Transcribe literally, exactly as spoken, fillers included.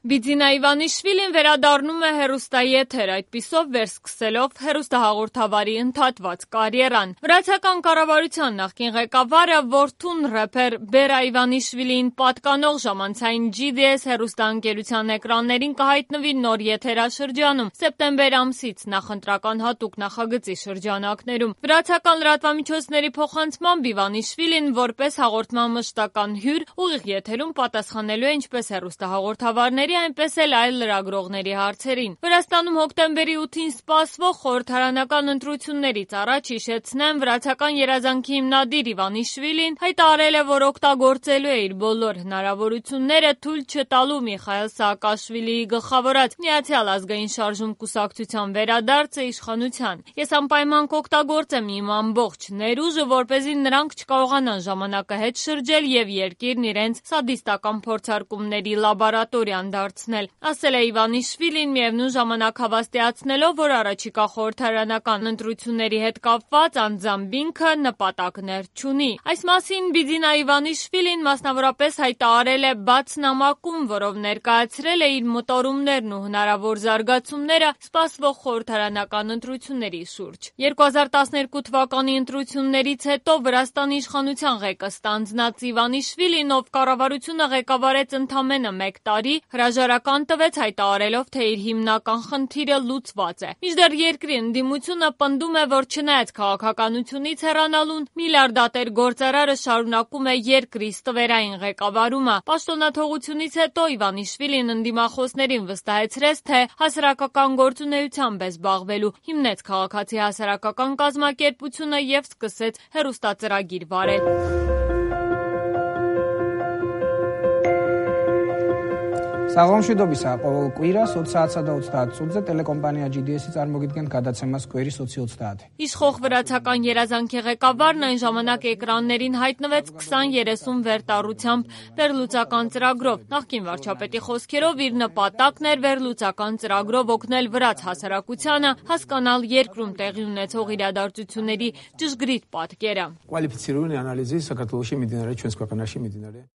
Բիձինա Իվանիշվիլին վերադառնում է հեռուստաեթեր, այդպիսով վերսկսելով հեռուստահաղորդավարի ընդհատված կարիերան։ Վրացական կառավարության նախկին ղեկավարը որդուն ռեփեր Բերա Իվանիշվիլիին պատկանող ժամանցային Ջի Դի Էս հեռուստաընկերության էկրաններին կհայտնվի նոր եթերաշրջանում սեպտեմբեր ամսից նախընտրական հատուկ նախագծի շրջանակներում։ Վրացական լրատվամիջոցների փոխանցմամբ Իվանիշվիլին որպես հաղորդման մշտական հյուր ուղիղ եթերում պատասխանելու է ինչպես հեռուստահաղորդավարների, այնպես էլ այլ լրագրողների հարցերին։ Վրաստանում հոկտեմբերի ութին սպասվող խորհրդարանական ընտրություններից առաջ հիշեցնեմ, վրացական երազանքի հիմնադիր Իվանիշվիլին հայտարարել է, որ օգտագործելու է իր բոլոր հնարավորությունները թույլ չտալու Միխայիլ Սաակաշվիլիի գլխավորած Միացյալ ազգային շարժում կուսակցության վերադարձը իշխանության։ Ես անպայման կօգտագործեմ իմ ամբողջ ներուժը, որպեսզի նրանք չկարողանան ժամանակը հետ շրջել եւ երկիրն իրենց սադիստական փորձարկումների լաբորատորիան դարձնել, ասել է Իվանիշվիլին, միևնույն ժամանակ հավաստիացնելով, որ առաջիկա խորհրդարանական ընտրությունների հետ կապված անձամբ ինքը նպատակներ չունի։ Այս մասին Բիձինա Իվանիշվիլին մասնավորապես հայտարարել է բաց նամակում, որով ներկայացրել է իր մտորումներն ու հնարավոր զարգացումները սպասվող խորհրդարանական ընտրությունների շուրջ։ երկու հազար տասներկու թվականի ընտրություններից հետո Վրաստանի իշխանության ղեկը ստանձնած Իվանիշվիլին, ով կառավարությունը ղեկավարեց ընդամենը մեկ տարի, հրաժարական տվեց հայտարարելով, թե իր հիմնական խնդիրը լուծված է։ Մինչդեռ երկրի ընդդիմությունը պնդում է, որ չնայած քաղաքականությունից հեռանալուն, միլիարդատեր գործարարը շարունակում է երկրի ստվերային ղեկավարումը։ Պաշտոնաթողությունից հետո Իվանիշվիլին ընդդիմախոսներին վստահեցրեց, թե հասարակական գործունեությամբ է զբաղվելու, հիմնեց քաղաքացի հասարակական կազմակերպությունը եւ սկսեց հեռուստածրագիր վարել։ Սաղոմշուդոբիսա կույրա սոցիացադա ութսունձը տելեկոմպանիա Ջի Դի Էսից արմոգիտկեն կադացեմաս կույրի սոցի ութսունձ։ Իշխող վրացական երազանքի ղեկավարն այն ժամանակ էկրաններին հայտնվեց քսան երեսուն վերտառությամբ վերլուծական ծրագրով։ Նախկին վարչապետի խոսքերով իր նպատակն էր վերլուծական ծրագրով օգնել վրաց հասարակությանը հասկանալ երկրում տեղի ունեցող իրադարձությունների ճշգրիտ պատկերը։